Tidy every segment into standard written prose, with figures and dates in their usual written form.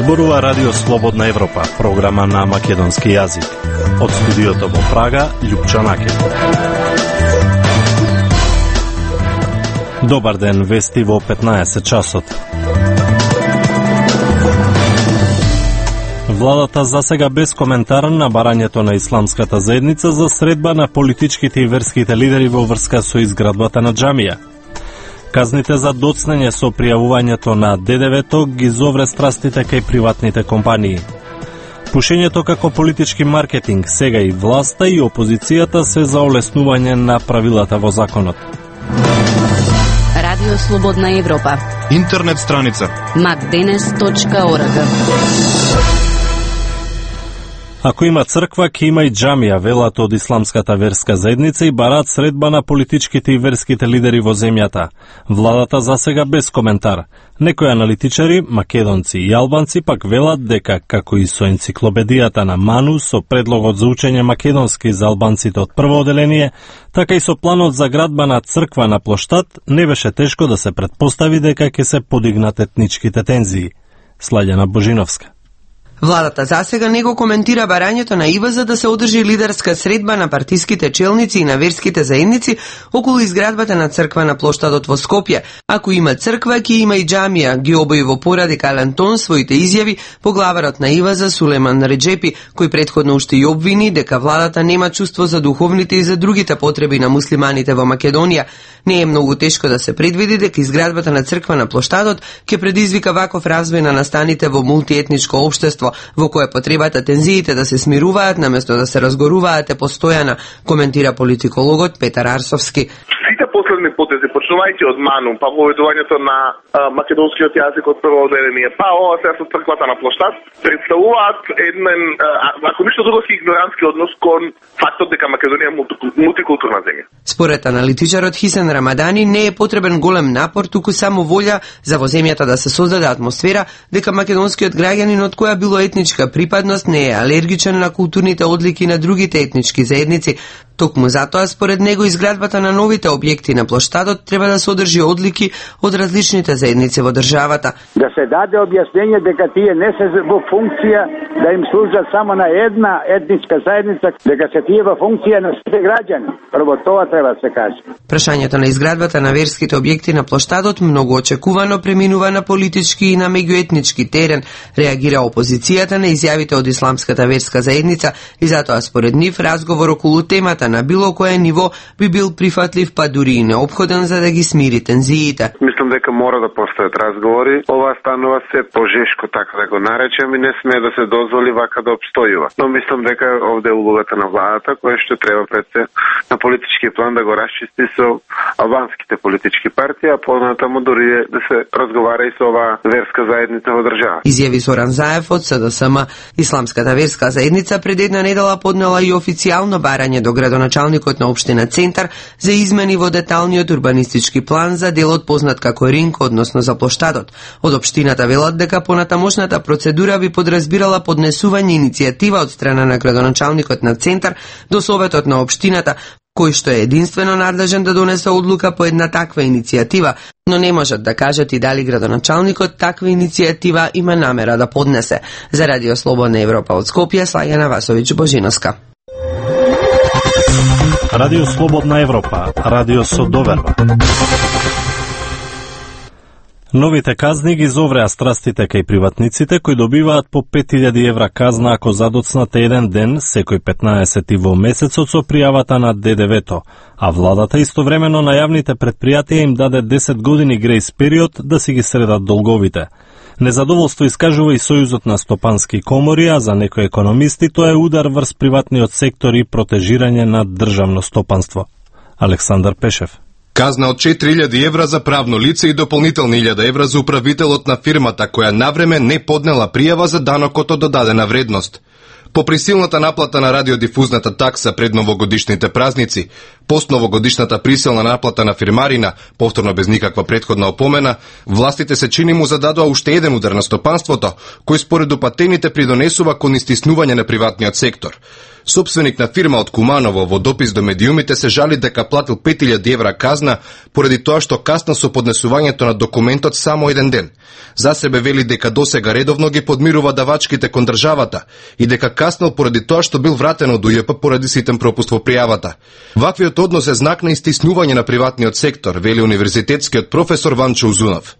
Зборува Радио Слободна Европа, програма на македонски јазик. Од студиото во Прага, Љупчо Накет. Добар ден, вести во 15 часот. Владата засега без коментар на барањето на исламската заедница за средба на политичките и верските лидери во врска со изградбата на џамија. Казните за доцнење со пријавувањето на ДДВ-то ги зовре страстите кај приватните компании. Пушењето како политички маркетинг, сега и власта и опозицијата се за олеснување на правилата во законот. Радио Слободна Европа. Интернет страница macdenes.org. Ако има црква, ќе има и џамија, велат од исламската верска заедница и бараат средба на политичките и верските лидери во земјата. Владата засега без коментар. Некои аналитичари, македонци и албанци пак велат дека, како и со енциклопедијата на Ману, со предлогот за учење македонски за албанците од прво оделение, така и со планот за градба на црква на плоштад, не беше тешко да се претпостави дека ќе се подигнат етничките тензии. Слаѓана Божиновска. Владата засега не го коментира барањето на ИВЗ да се одржи лидерска средба на партиските челници и на верските заедници околу изградбата на црква на плоштадот во Скопје. Ако има црква, ќе има и џамија, ги обои во порадикален тон своите изјави поглаварот на ИВЗ Сулеман Реджепи, кој претходно уште и обвини дека владата нема чувство за духовните и за другите потреби на муслиманите во Македонија. Не е многу тешко да се предвиди дека изградбата на црква на плоштадот ќе предизвика ваков развој на настаните во мултиетничко општество, во кое потребата тензиите да се смируваат наместо да се разгоруваат е постојана, коментира политикологот Петар Арсовски. Сите последни потези, почнувајќи од Ману, па поведувањето на македонскиот јазик од прво оделение, па ова сега со црквата на плоштад, представуваат еден, ако ништо друго, игнорантски однос кон фактот дека Македонија е мултикултурна земја. Според аналитичарот Хисен Рамадани не е потребен голем напор, туку само волја за во земјата да се создаде атмосфера дека македонскиот граѓанин од која било етничка припадност не е алергичен на културните одлики на другите етнички заедници. Токму затоа, според него, изградбата на новите објекти на плоштадот треба да содржи одлики од различните заедници во државата. Да се даде објаснење дека тие не се во функција да им служат само на една етничка заедница, дека се тие во функција на сите граѓани. Прво тоа треба да се каже. Прашањето на изградбата на верските објекти на плоштадот многу очекувано преминува на политички и на меѓуетнички терен, реагира опозицијата на изјавите од исламската верска заедница и затоа според нив разговор околу темата на било кое ниво би бил прифатлив, па дури и неопходен за да ги смири тензиите. Мислам дека мора да постојат разговори. Ова станува се пожешко, така да го наречем, и не смее да се дозволи вака да обстојува. Но мислам дека овде е улогата на владата, која што треба пред се на политички план да го расчисти со албанските политички партии, а понатаму дури да се разговара и со оваа верска заедница во држава. Изјави Зоран Заев од СДСМ. Исламската верска заедница пред една недела поднела и официјално барање до градоначалникот на општина Центар за измени во деталниот урбанистички план за делот познат како Ринг, односно за плоштадот. Од општината велат дека понатамошната процедура би подразбирала поднесување иницијатива од страна на градоначалникот на Центар до советот на општината, кој што е единствено надлежен да донесе одлука по една таква иницијатива, но не можат да кажат и дали градоначалникот таква иницијатива има намера да поднесе. За Радио Слободна Европа од Скопје, Слаѓана Васовиќ Божиновска. Радио Слободна Европа, радио со доверба. Новите казни ги зовреа страстите кај приватниците кои добиваат по 5000 евра казна ако задоцнат еден ден секој 15 во месецот со пријавата на ДДВ-то, а владата истовремено на јавните предпријатија им даде 10 години грејс период да си ги средат долговите. Незадоволство искажува и Сојузот на стопански комори, а за некои економисти тоа е удар врз приватниот сектор и протежирање на државно стопанство. Александар Пешев. Казна од 4000 евра за правно лице и дополнителни 1000 евра за управителот на фирмата која навреме не поднела пријава за данокот од додадена вредност. По присилната наплата на радиодифузната такса пред новогодишните празници, постновогодишната присилна наплата на фирмарина, повторно без никаква претходна опомена, властите се чини му зададоа уште еден удар на стопанството, кој според упатените придонесува кон истиснување на приватниот сектор. Сопственик на фирма од Куманово во допис до медиумите се жали дека платил 5000 евра казна поради тоа што касна со поднесувањето на документот само еден ден. За себе вели дека досега редовно ги подмирува давачките кон државата и дека каснал поради тоа што бил вратен од УЈП поради ситен пропуст во пријавата. Ваквиот однос е знак на истиснување на приватниот сектор, вели универзитетскиот професор Ванчо Узунов.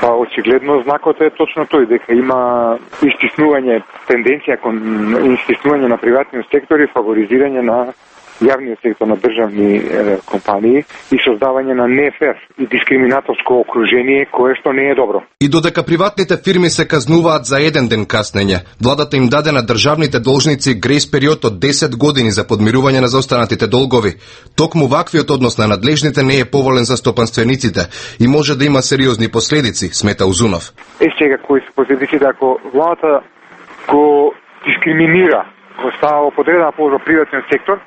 Очигледно знакот е точно тој, дека има истиснување, тенденција кон истиснување на приватниот сектор и фаворизирање на јавниот сектор, на државни компании и создавање на нефер и дискриминаторско окружение кое што не е добро. И додека приватните фирми се казнуваат за еден ден каснење, владата им даде на државните должници грејс период од 10 години за подмирување на заостанатите долгови. Токму ваквиот однос на надлежните не е поволен за стопанствениците и може да има сериозни последици, смета Узунов. Сега кои се последиците ако владата го дискриминира, го става во подредена положба приватниот сектор,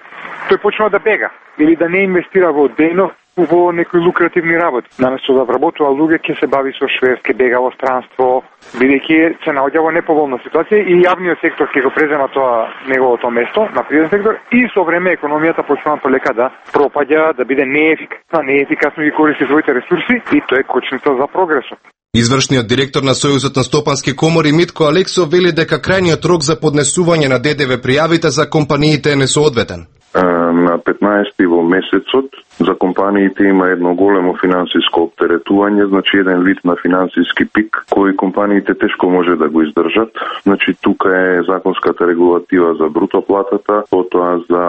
тој почнува да бега или да не инвестира во дејност во некои лукративни работи. Наместо да вработува луѓе, ќе се бави со шверст, ќе бега во странство, бидејќи се наоѓа во неповолна ситуација и јавниот сектор ќе го презема тоа неговото место на приватен сектор и со време економијата почнува полека да пропаѓа, да биде неефикасно ги користи своите ресурси и тоа е кочница за прогресот. Извршниот директор на Сојузот на стопански комори Митко Алексов вели дека крајниот рок за поднесување на ДДВ пријавите за компаниите е несоодветен. На 15 во месецот за компаниите има едно големо финансиско оптеретување, значи еден вид на финансиски пик кој компаниите тешко може да го издржат. Значи тука е законската регулатива за бруто платата, потоа за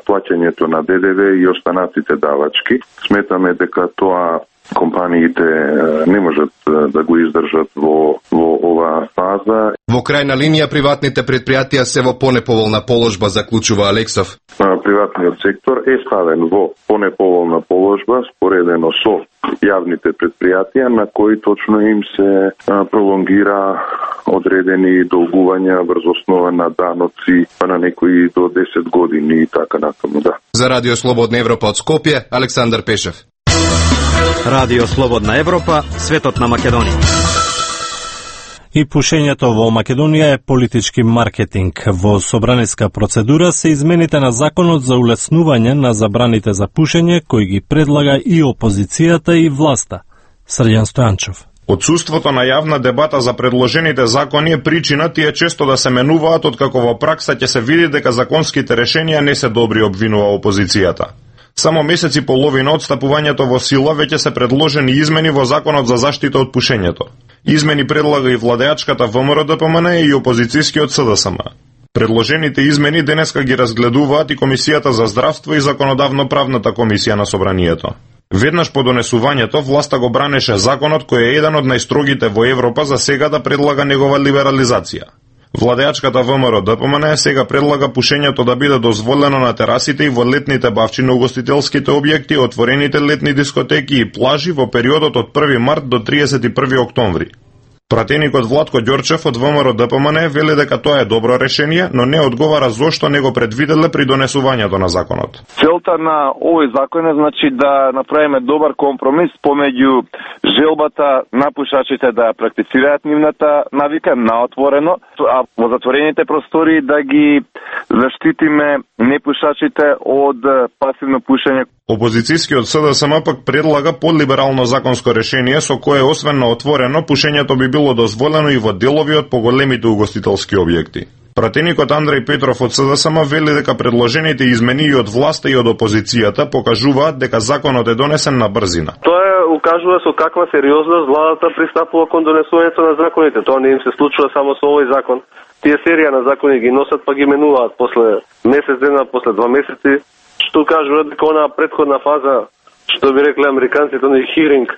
плаќањето на ДДВ и останатите давачки. Сметаме дека тоа компаниите не можат да го издржат во оваа фаза. Во крајна линија приватните предпријатија се во понеповолна положба, заклучува Алексов. Приватниот сектор е ставен во понеповолна положба споредено со јавните предпријатија на кои точно им се пролонгира одредени долгувања врз основа на даноци, па на некои до 10 години и така натаму, да. За Радио Слободна Европа од Скопје, Александар Пешев. Радио Слободна Европа, светот на Македонија. И пушењето во Македонија е политички маркетинг. Во собраниска процедура се измените на законот за улеснување на забраните за пушење, кој ги предлага и опозицијата и власта. Срđan Стојанчов. Отсуството на јавна дебата за предложените закони е причина тие често да се менуваат, откако во пракса ќе се види дека законските решенија не се добри, обвинува опозицијата. Само месец и половина од стапувањето во сила веќе се предложени измени во Законот за заштита од пушењето. Измени предлага и владеачката ВМРО-ДПМН и опозицијскиот СДСМ. Предложените измени денеска ги разгледуваат и Комисијата за здравство и Законодавно-правната комисија на Собранието. Веднаш по донесувањето, власта го бранеше законот кој е еден од најстрогите во Европа за сега да предлага негова либерализација. Владеачката ВМРО-ДПМН сега предлага пушењето да биде дозволено на терасите и во летните бавчи на угостителските објекти, отворените летни дискотеки и плажи во периодот од 1 март до 31 октомври. Пратеникот Владко Ѓорчев од ВМРО-ДПМН вели дека тоа е добро решение, но не одговара зошто не го предвиделе при донесувањето на законот. Целта на овој закон е значи да направиме добар компромис помеѓу желбата на пушачите да практицираат нивната навика на отворено, а во затворените простори да ги заштитиме непушачите од пасивно пушење. Опозицијскиот СДСМ пак предлага подлиберално законско решение со кое освен на отворено, пушењето би било дозволено и во делови од поголемите угостителски објекти. Пратеникот Андреј Петров од СДСМ вели дека предложените измени и од власта и од опозицијата покажуваат дека законот е донесен на брзина. Тоа укажува со каква сериозност владата пристапува кон донесувањето на законите. Тоа не им се случува само со овој закон. Тие серија на закони ги носат па ги менуваат после месец дена, после 2 месеци, што кажува дека онаа претходна фаза, што би рекле американците, на хиринг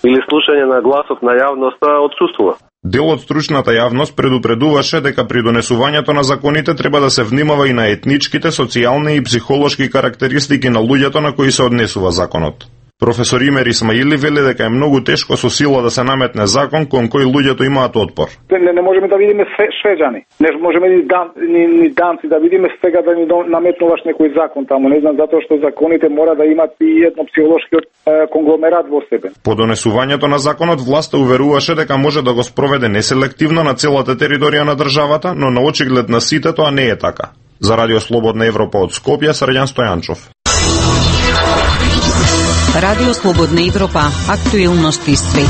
или слушање на гласот на јавноста отсуствува. Дел од стручната јавност предупредуваше дека при донесувањето на законите треба да се внимава и на етничките, социјални и психолошки карактеристики на луѓето на кои се однесува законот. Професор Имер Исмаили вели дека е многу тешко со сила да се наметне закон кон кој луѓето имаат отпор. Не можеме да видиме швеđани, не можеме ни данци да видиме сега да ни наметнуваш некој закон таму, не знам, затоа што законите мора да имат и едно психолошки конгломерат во себе. По донесувањето на законот власта уверуваше дека може да го спроведе неселективно на целата територија на државата, но на очиглед на сите тоа не е така. За Радио Слободна Европа од Скопје, Срđan Стојанчов. Радио Слободна Европа, актуелности свет.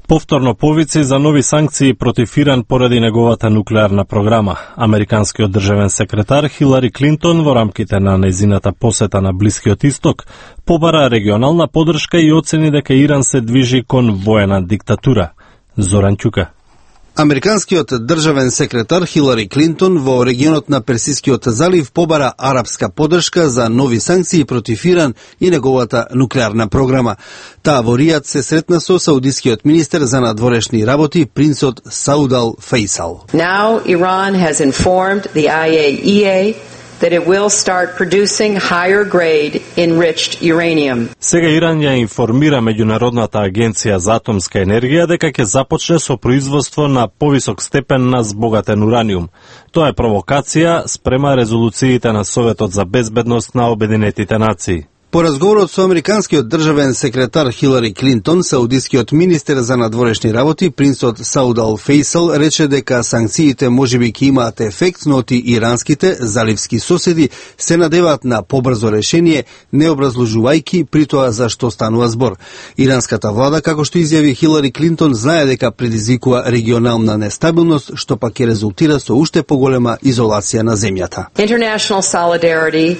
Повторно повици за нови санкции против Иран поради неговата нуклеарна програма. Американскиот државен секретар Хилари Клинтон во рамките на нејзината посета на Блискиот Исток побара регионална поддршка и оцени дека Иран се движи кон воена диктатура. Зоран Ќука. Американскиот државен секретар Хилари Клинтон во регионот на Персискиот залив побара арапска поддршка за нови санкции против Иран и неговата нуклеарна програма. Таа во Ријад се сретна со саудискиот министер за надворешни работи принцот Сауд ал Фейсал. Now Iran has informed the IAEA that it will start producing higher grade enriched uranium. Сега Иран ја информира Меѓународната агенција за атомска енергија дека ќе започне со производство на повисок степен на збогатен ураниум. Тоа е провокација спрема резолуциите на Советот за безбедност на Обединетите нации. По разговорот со американскиот државен секретар Хилари Клинтон, саудискиот министер за надворешни работи принцот Сауд ал Фейсал рече дека санкциите можеби ќе имаат ефект, но ти иранските заливски соседи се надеваат на побрзо решение, не образложувајќи при тоа за што станува збор. Иранската влада, како што изјави Хилари Клинтон, знае дека предизвикува регионална нестабилност, што пак ќе резултира со уште поголема изолација на земјата. International solidarity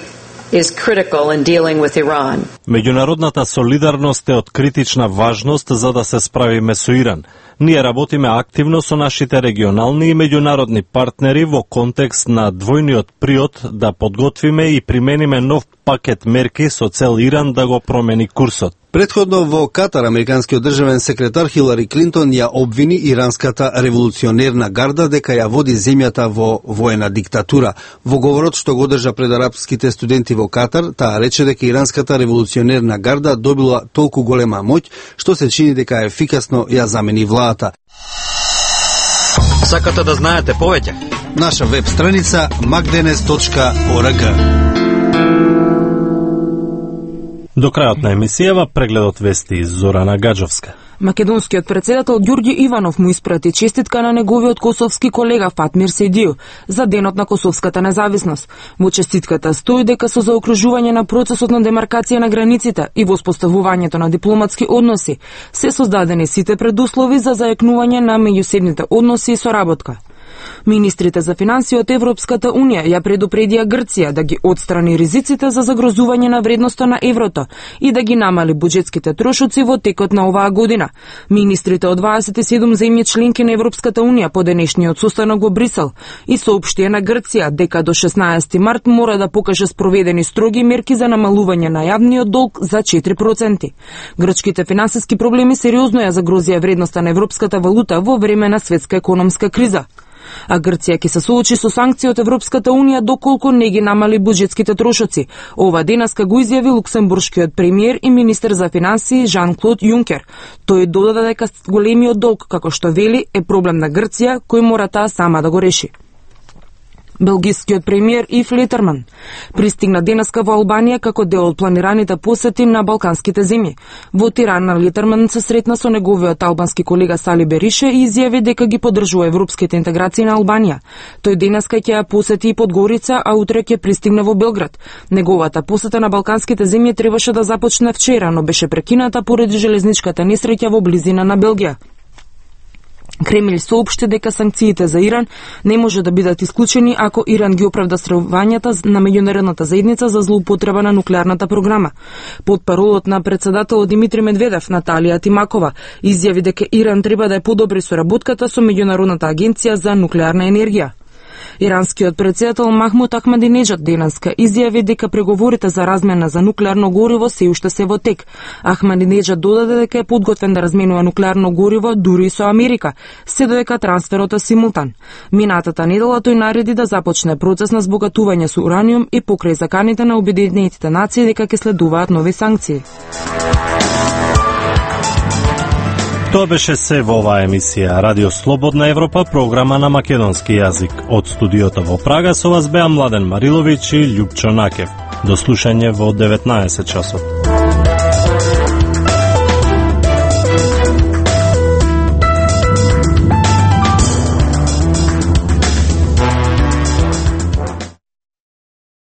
is critical in dealing with Iran. Меѓународната солидарност е од критична важност за да се справиме со Иран. Ние работиме активно со нашите регионални и меѓународни партнери во контекст на двојниот приод да подготвиме и примениме нов пакет мерки со цел Иран да го промени курсот. Претходно во Катар, американскиот државен секретар Хилари Клинтон ја обвини иранската револуционерна гарда дека ја води земјата во воена диктатура. Во говорот што го држа пред арапските студенти во Катар, таа рече дека иранската револуционерна гарда добила толку голема моќ што се чини дека ефикасно ја замени владата. Сакате да знаете повеќе? Наша веб страница magdenes.org. До крајот на емисијава прегледот вести Зорана Гаджовска. Македонскиот председател Ѓурѓи Иванов му испрати честитка на неговиот косовски колега Фатмир Сейдију за денот на косовската независност. Во честитката стои дека со заокружување на процесот на демаркација на границите и воспоставувањето на дипломатски односи се создадени сите предуслови за зајакнување на меѓусебните односи и соработка. Министрите за финансии од Европската Унија ја предупредија Грција да ги отстрани ризиците за загрозување на вредноста на еврото и да ги намали буџетските трошоци во текот на оваа година. Министрите од 27 земји членки на Европската Унија по денешниот состанок во Брисел и соопштија на Грција дека до 16 март мора да покаже спроведени строги мерки за намалување на јавниот долг за 4%. Грчките финансиски проблеми сериозно ја загрозија вредноста на европската валута во време на светска економска криза. А Грција ќе се соочи со санкции од Европската Унија доколку не ги намали буџетските трошоци. Ова денеска го изјави луксембуршкиот премиер и министер за финансии Жан-Клод Јункер. Тој додаде дека големиот долг, како што вели, е проблем на Грција кој мора таа сама да го реши. Белгискиот премиер Ив Летерман пристигна денеска во Албанија како дел од планираните посети на балканските земји. Во Тирана Летерман се сретна со неговиот албански колега Сали Берише и изјави дека ги поддржува европските интеграции на Албанија. Тој денеска ќе ја посети и Подгорица, а утре ќе пристигне во Белград. Неговата посета на балканските земји требаше да започне вчера, но беше прекината поради железничката несреќа во близина на Белгија. Кремљ соопшти дека санкциите за Иран не може да бидат исклучени ако Иран ги оправда стравувањата на меѓународната заедница за злоупотреба на нуклеарната програма. Потпаролот на председателот Димитри Медведев, Наталија Тимакова, изјави дека Иран треба да ја подобри соработката со Меѓународната агенција за нуклеарна енергија. Иранскиот председател Махмуд Ахмадинеджад денеска изјави дека преговорите за размена за нуклеарно гориво се уште се во тек. Ахмадинеджад додаде дека е подготвен да разменува нуклеарно гориво дури и со Америка, се додека трансферот е симултан. Минатата недела тој нареди да започне процес на збогатување со ураниум и покрај заканите на Обединетите нации дека ќе следуваат нови санкции. Тоа беше се во оваа емисија Радио Слободна Европа, програма на македонски јазик. Од студиото во Прага со вас беа Младен Мариловиќ и Љупчо Накев. До слушање во 19 часот.